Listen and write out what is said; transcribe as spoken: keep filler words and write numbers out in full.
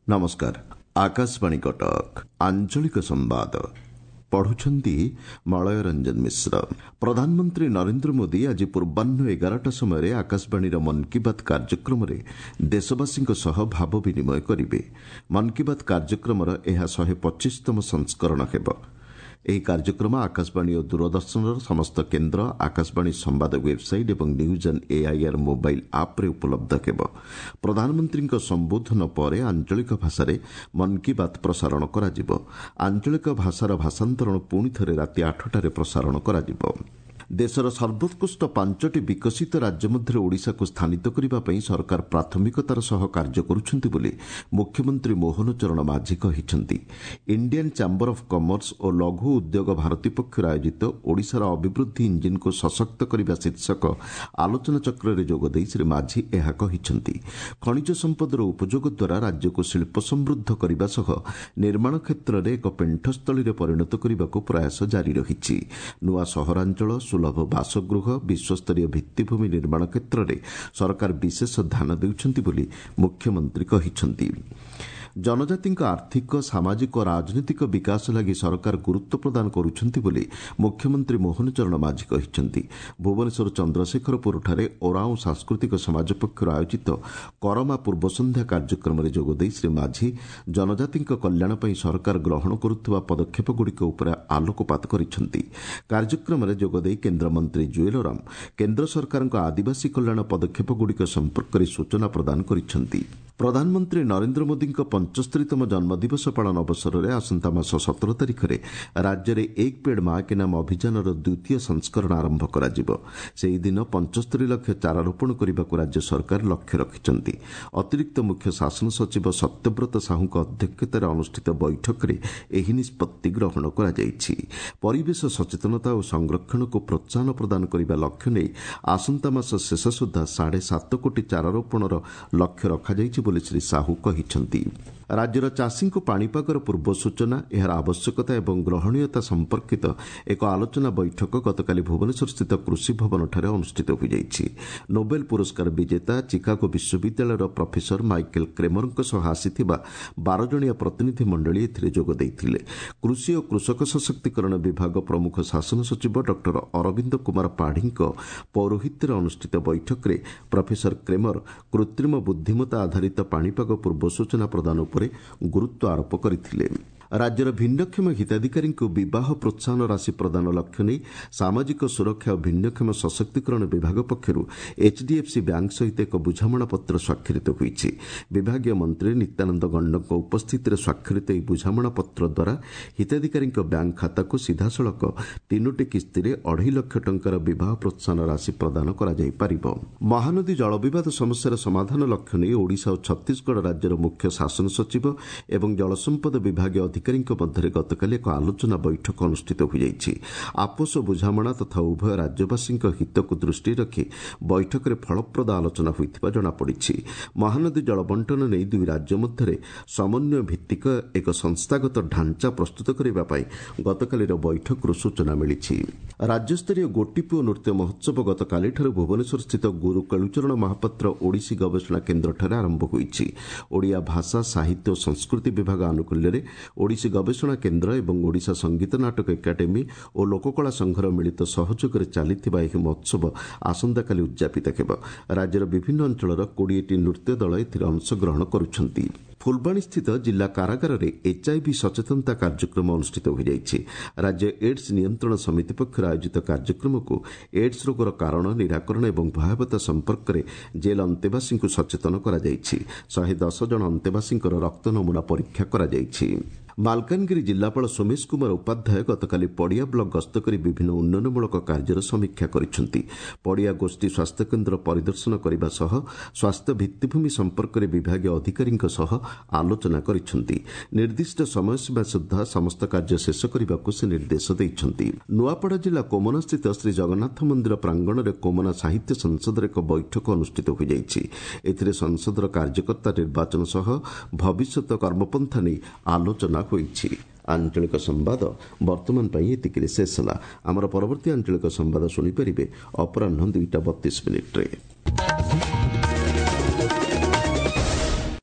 ନମସ୍କାର, ଆକାଶବାଣୀ କଟକ, ଆଞ୍ଚଳିକ ସମ୍ବାଦ ପଢୁଛନ୍ତି ମଳୟ ରଞ୍ଜନ ମିଶ୍ର। ପ୍ରଧାନମନ୍ତ୍ରୀ ନରେନ୍ଦ୍ର ମୋଦି ଆଜି ପୂର୍ବାହ୍ନ ଏଗାରଟା ସମୟରେ ଆକାଶବାଣୀର ମନ୍ କି ବାତ୍ କାର୍ଯ୍ୟକ୍ରମରେ ଦେଶବାସୀଙ୍କ ସହ ଭାବ ବିନିମୟ କରିବେ। ମନ୍ କି ବାତ୍ କାର୍ଯ୍ୟକ୍ରମର ଏହା ଶହେ ପଚିଶତମ ସଂସ୍କରଣ ହେବ। ଏହି କାର୍ଯ୍ୟକ୍ରମ ଆକାଶବାଣୀ ଓ ଦୂରଦର୍ଶନର ସମସ୍ତ କେନ୍ଦ୍ର, ଆକାଶବାଣୀ ସମ୍ବାଦ ୱେବ୍ସାଇଟ୍ ଏବଂ ନ୍ୟୁଜ୍ ଅନ୍ ଏଆଇଆର୍ ମୋବାଇଲ୍ ଆପ୍ରେ ଉପଲବ୍ଧ ହେବ। ପ୍ରଧାନମନ୍ତ୍ରୀଙ୍କ ସମ୍ବୋଧନ ପରେ ଆଞ୍ଚଳିକ ଭାଷାରେ ମନ୍ କି ବାତ୍ ପ୍ରସାରଣ କରାଯିବ। ଆଞ୍ଚଳିକ ଭାଷାର ଭାଷାନ୍ତରଣ ପୁଣି ଥରେ ରାତି ଆଠଟାରେ ପ୍ରସାରଣ କରାଯିବ। ଦେଶର ସର୍ବୋତ୍କୃଷ୍ଟ ପାଞ୍ଚଟି ବିକଶିତ ରାଜ୍ୟ ମଧ୍ୟରେ ଓଡ଼ିଶାକୁ ସ୍ଥାନିତ କରିବା ପାଇଁ ସରକାର ପ୍ରାଥମିକତାର ସହ କାର୍ଯ୍ୟ କରୁଛନ୍ତି ବୋଲି ମୁଖ୍ୟମନ୍ତ୍ରୀ ମୋହନ ଚରଣ ମାଝୀ କହିଛନ୍ତି। ଇଣ୍ଡିଆନ୍ ଚାମ୍ବର ଅଫ୍ କମର୍ସ ଓ ଲଘୁ ଉଦ୍ୟୋଗ ଭାରତୀ ପକ୍ଷରୁ ଆୟୋଜିତ ଓଡ଼ିଶାର ଅଭିବୃଦ୍ଧି ଇଞ୍ଜିନ୍କୁ ସଶକ୍ତ କରିବା ଶୀର୍ଷକ ଆଲୋଚନାଚକ୍ରରେ ଯୋଗଦେଇ ଶ୍ରୀ ମାଝୀ ଏହା କହିଛନ୍ତି। ଖଣିଜ ସମ୍ପଦର ଉପଯୋଗ ଦ୍ୱାରା ରାଜ୍ୟକୁ ଶିଳ୍ପ ସମୃଦ୍ଧ କରିବା ସହ ନିର୍ମାଣ କ୍ଷେତ୍ରରେ ଏକ ପେଣ୍ଠସ୍ଥଳୀରେ ପରିଣତ କରିବାକୁ ପ୍ରୟାସ ଜାରି ରହିଛି। ନୂଆ ସହରାଞ୍ଚଳ, ସୁଲଭ ବାସଗୃହ, ବିଶ୍ୱସ୍ତରୀୟ ଭିତ୍ତିଭୂମି ନିର୍ମାଣ କ୍ଷେତ୍ରରେ ସରକାର ବିଶେଷ ଧ୍ୟାନ ଦେଉଛନ୍ତି ବୋଲି ମୁଖ୍ୟମନ୍ତ୍ରୀ କହିଛନ୍ତି। ଜନଜାତିଙ୍କ ଆର୍ଥିକ, ସାମାଜିକ ଓ ରାଜନୈତିକ ବିକାଶ ଲାଗି ସରକାର ଗୁରୁତ୍ୱ ପ୍ରଦାନ କରୁଛନ୍ତି ବୋଲି ମୁଖ୍ୟମନ୍ତ୍ରୀ ମୋହନ ଚରଣ ମାଝୀ କହିଛନ୍ତି। ଭୁବନେଶ୍ୱର ଚନ୍ଦ୍ରଶେଖରପୁରଠାରେ ଓରାଓଁ ସାଂସ୍କୃତିକ ସମାଜ ପକ୍ଷରୁ ଆୟୋଜିତ କରମା ପୂର୍ବସନ୍ଧ୍ୟା କାର୍ଯ୍ୟକ୍ରମରେ ଯୋଗଦେଇ ଶ୍ରୀ ମାଝୀ ଜନଜାତିଙ୍କ କଲ୍ୟାଣ ପାଇଁ ସରକାର ଗ୍ରହଣ କରୁଥିବା ପଦକ୍ଷେପଗୁଡ଼ିକ ଉପରେ ଆଲୋକପାତ କରିଛନ୍ତି। କାର୍ଯ୍ୟକ୍ରମରେ ଯୋଗଦେଇ କେନ୍ଦ୍ରମନ୍ତ୍ରୀ ଜୁଏଲ ଓରାମ କେନ୍ଦ୍ର ସରକାରଙ୍କ ଆଦିବାସୀ କଲ୍ୟାଣ ପଦକ୍ଷେପଗୁଡ଼ିକ ସମ୍ପର୍କରେ ସୂଚନା ପ୍ରଦାନ କରିଛନ୍ତି। ପ୍ରଧାନମନ୍ତ୍ରୀ ନରେନ୍ଦ୍ର ମୋଦିଙ୍କ ପଞ୍ଚସ୍ତରୀତମ ଜନ୍ମଦିବସ ପାଳନ ଅବସରରେ ଆସନ୍ତା ମାସ ସତର ତାରିଖରେ ରାଜ୍ୟରେ ଏକ ପେଡ୍ ମା କେ ନାମ ଅଭିଯାନର ଦ୍ୱିତୀୟ ସଂସ୍କରଣ ଆରମ୍ଭ କରାଯିବ। ସେହିଦିନ ପଞ୍ଚସ୍ତରୀ ଲକ୍ଷ ଚାରା ରୋପଣ କରିବାକୁ ରାଜ୍ୟ ସରକାର ଲକ୍ଷ୍ୟ ରଖିଛନ୍ତି। ଅତିରିକ୍ତ ମୁଖ୍ୟ ଶାସନ ସଚିବ ସତ୍ୟବ୍ରତ ସାହୁଙ୍କ ଅଧ୍ୟକ୍ଷତାରେ ଅନୁଷ୍ଠିତ ବୈଠକରେ ଏହି ନିଷ୍ପତ୍ତି ଗ୍ରହଣ କରାଯାଇଛି। ପରିବେଶ ସଚେତନତା ଓ ସଂରକ୍ଷଣକୁ ପ୍ରୋତ୍ସାହନ ପ୍ରଦାନ କରିବା ଲକ୍ଷ୍ୟ ନେଇ ଆସନ୍ତା ମାସ ଶେଷ ସୁଦ୍ଧା ସାଢ଼େ ସାତ କୋଟି ଚାରା ରୋପଣର ଲକ୍ଷ୍ୟ ରଖାଯାଇଛି ବୋଲି ଶ୍ରୀ ସାହୁ କହିଛନ୍ତି। ରାଜ୍ୟର ଚାଷୀଙ୍କୁ ପାଣିପାଗର ପୂର୍ବ ସୂଚନା, ଏହାର ଆବଶ୍ୟକତା ଏବଂ ଗ୍ରହଣୀୟତା ସମ୍ପର୍କିତ ଏକ ଆଲୋଚନା ବୈଠକ ଗତକାଲି ଭୁବନେଶ୍ୱରସ୍ଥିତ କୃଷି ଭବନଠାରେ ଅନୁଷ୍ଠିତ ହୋଇଯାଇଛି। ନୋବେଲ ପୁରସ୍କାର ବିଜେତା ଚିକାଗୋ ବିଶ୍ୱବିଦ୍ୟାଳୟର ପ୍ରଫେସର ମାଇକେଲ କ୍ରେମରଙ୍କ ସହ ଆସିଥିବା ବାର ଜଣିଆ ପ୍ରତିନିଧି ମଣ୍ଡଳୀ ଏଥିରେ ଯୋଗ ଦେଇଥିଲେ। କୃଷି ଓ କୃଷକ ସଶକ୍ତିକରଣ ବିଭାଗ ପ୍ରମୁଖ ଶାସନ ସଚିବ ଡକ୍ଟର ଅରବିନ୍ଦ କୁମାର ପାଢ଼ୀଙ୍କ ପୌରୋହିତ୍ୟରେ ଅନୁଷ୍ଠିତ ବୈଠକରେ ପ୍ରଫେସର କ୍ରେମର କୃତ୍ରିମ ବୁଦ୍ଧିମତ୍ତା ଆଧାରିତ ପାଣିପାଗ ପୂର୍ବ ସୂଚନା ପ୍ରଦାନ ଉପରେ ଗୁରୁତ୍ୱ ଆରୋପ କରିଥିଲେ। ରାଜ୍ୟର ଭିନ୍ନକ୍ଷମ ହିତାଧିକାରୀଙ୍କୁ ବିବାହ ପ୍ରୋତ୍ସାହନ ରାଶି ପ୍ରଦାନ ଲକ୍ଷ୍ୟ ନେଇ ସାମାଜିକ ସୁରକ୍ଷା ଓ ଭିନ୍ନକ୍ଷମ ସଶକ୍ତିକରଣ ବିଭାଗ ପକ୍ଷରୁ ଏଚ୍ଡିଏଫ୍ସି ବ୍ୟାଙ୍କ ସହିତ ଏକ ବୁଝାମଣାପତ୍ର ସ୍ୱାକ୍ଷରିତ ହୋଇଛି। ବିଭାଗୀୟ ମନ୍ତ୍ରୀ ନିତ୍ୟାନନ୍ଦ ଗଣ୍ଡଙ୍କ ଉପସ୍ଥିତିରେ ସ୍ୱାକ୍ଷରିତ ଏହି ବୁଝାମଣାପତ୍ର ଦ୍ୱାରା ହିତାଧିକାରୀଙ୍କ ବ୍ୟାଙ୍କ ଖାତାକୁ ସିଧାସଳଖ ତିନୋଟି କିସ୍ତିରେ ଅଢ଼େଇ ଲକ୍ଷ ଟଙ୍କାର ବିବାହ ପ୍ରୋତ୍ସାହନ ରାଶି ପ୍ରଦାନ କରାଯାଇପାରିବ। ମହାନଦୀ ଜଳବିବାଦ ସମସ୍ୟାର ସମାଧାନ ଲକ୍ଷ୍ୟ ନେଇ ଓଡ଼ିଶା ଓ ଛତିଶଗଡ଼ ରାଜ୍ୟର ମୁଖ୍ୟ ଶାସନ ସଚିବ ଏବଂ ଜଳସମ୍ପଦ ବିଭାଗୀୟ ଅଧିକାରୀଙ୍କ ମଧ୍ୟରେ ଗତକାଲି ଏକ ଆଲୋଚନା ବୈଠକ ଅନୁଷ୍ଠିତ ହୋଇଯାଇଛି। ଆପୋଷ ବୁଝାମଣା ତଥା ଉଭୟ ରାଜ୍ୟବାସୀଙ୍କ ହିତକୁ ଦୃଷ୍ଟିରେ ରଖି ବୈଠକରେ ଫଳପ୍ରଦ ଆଲୋଚନା ହୋଇଥିବା ଜଣାପଡ଼ିଛି। ମହାନଦୀ ଜଳବଣ୍ଟନ ନେଇ ଦୁଇ ରାଜ୍ୟ ମଧ୍ୟରେ ସମନ୍ୱୟ ଭିତ୍ତିକ ଏକ ସଂସ୍ଥାଗତ ଢାଞ୍ଚା ପ୍ରସ୍ତୁତ କରିବା ପାଇଁ ଗତକାଲିର ବୈଠକରୁ ସୂଚନା ମିଳିଛି। ରାଜ୍ୟସ୍ତରୀୟ ଗୋଟିପୁଅ ନୃତ୍ୟ ମହୋତ୍ସବ ଗତକାଲିଠାରୁ ଭୁବନେଶ୍ୱରସ୍ଥିତ ଗୁରୁ କେଳୁଚରଣ ମହାପାତ୍ର ଓଡ଼ିଶୀ ଗବେଷଣା କେନ୍ଦ୍ରଠାରେ ଆରମ୍ଭ ହୋଇଛି। ଓଡ଼ିଆ ଭାଷା, ସାହିତ୍ୟ ଓ ସଂସ୍କୃତି ବିଭାଗ ଆନୁକୂଲ୍ୟରେ ଓଡ଼ିଶୀ ଗବେଷଣା କେନ୍ଦ୍ର ଏବଂ ଓଡ଼ିଶା ସଙ୍ଗୀତ ନାଟକ ଏକାଡେମୀ ଓ ଲୋକକଳା ସଂଘର ମିଳିତ ସହଯୋଗରେ ଚାଲିଥିବା ଏହି ମହୋତ୍ସବ ଆସନ୍ତାକାଲି ଉଦ୍ଯାପିତ ହେବ। ରାଜ୍ୟର ବିଭିନ୍ନ ଅଞ୍ଚଳର କୋଡ଼ିଏଟି ନୃତ୍ୟ ଦଳ ଏଥିରେ ଅଂଶଗ୍ରହଣ କରୁଛନ୍ତି। ଫୁଲବାଣୀସ୍ଥିତ ଜିଲ୍ଲା କାରାଗାରରେ ଏଚ୍ଆଇଭି ସଚେତନତା କାର୍ଯ୍ୟକ୍ରମ ଅନୁଷ୍ଠିତ ହୋଇଯାଇଛି। ରାଜ୍ୟ ଏଡ୍ସ ନିୟନ୍ତ୍ରଣ ସମିତି ପକ୍ଷରୁ ଆୟୋଜିତ କାର୍ଯ୍ୟକ୍ରମକୁ ଏଡ୍ସ ରୋଗର କାରଣ, ନିରାକରଣ ଏବଂ ଭୟାବହତା ସମ୍ପର୍କରେ ଜେଲ୍ ଅନ୍ତେବାସୀଙ୍କୁ ସଚେତନ କରାଯାଇଛି। ଶହେ ଦଶ ଜଣ ଅନ୍ତେବାସୀଙ୍କର ରକ୍ତ ନମୁନା ପରୀକ୍ଷା କରାଯାଇଛି। ମାଲକାନଗିରି ଜିଲ୍ଲାପାଳ ସୋମେଶ କୁମାର ଉପାଧ୍ୟାୟ ଗତକାଲି ପଡ଼ିଆ ବ୍ଲକ ଗସ୍ତ କରି ବିଭିନ୍ନ ଉନ୍ନୟନମୂଳକ କାର୍ଯ୍ୟର ସମୀକ୍ଷା କରିଛନ୍ତି। ପଡ଼ିଆ ଗୋଷ୍ଠୀ ସ୍ୱାସ୍ଥ୍ୟକେନ୍ଦ୍ର ପରିଦର୍ଶନ କରିବା ସହ ସ୍ୱାସ୍ଥ୍ୟ ଭିତ୍ତିଭୂମି ସମ୍ପର୍କରେ ବିଭାଗୀୟ ଅଧିକାରୀଙ୍କ ସହ ଆଲୋଚନା କରିଛନ୍ତି। ନିର୍ଦ୍ଦିଷ୍ଟ ସମୟସୀମା ସୁଦ୍ଧା ସମସ୍ତ କାର୍ଯ୍ୟ ଶେଷ କରିବାକୁ ସେ ନିର୍ଦ୍ଦେଶ ଦେଇଛନ୍ତି। ନୂଆପଡ଼ା ଜିଲ୍ଲା କୋମନାସ୍ଥିତ ଶ୍ରୀ ଜଗନ୍ନାଥ ମନ୍ଦିର ପ୍ରାଙ୍ଗଣରେ କୋମନା ସାହିତ୍ୟ ସଂସଦର ଏକ ବୈଠକ ଅନୁଷ୍ଠିତ ହୋଇଯାଇଛି। ଏଥିରେ ସଂସଦର କାର୍ଯ୍ୟକର୍ତ୍ତା ନିର୍ବାଚନ ସହ ଭବିଷ୍ୟତ କର୍ମପନ୍ଥା ନେଇ ଆଲୋଚନା ହୋଇଛି। ଆଞ୍ଚଳିକ ସମ୍ବାଦ ବର୍ତ୍ତମାନ ପାଇଁ ଏତିକିରେ ଶେଷ ହେଲା। ଆମର ପରବର୍ତ୍ତୀ ଆଞ୍ଚଳିକ ସମ୍ବାଦ ଶୁଣିପାରିବେ ଅପରାହ୍ନ ଦୁଇଟା ବତିଶ ମିନିଟ୍ରେ।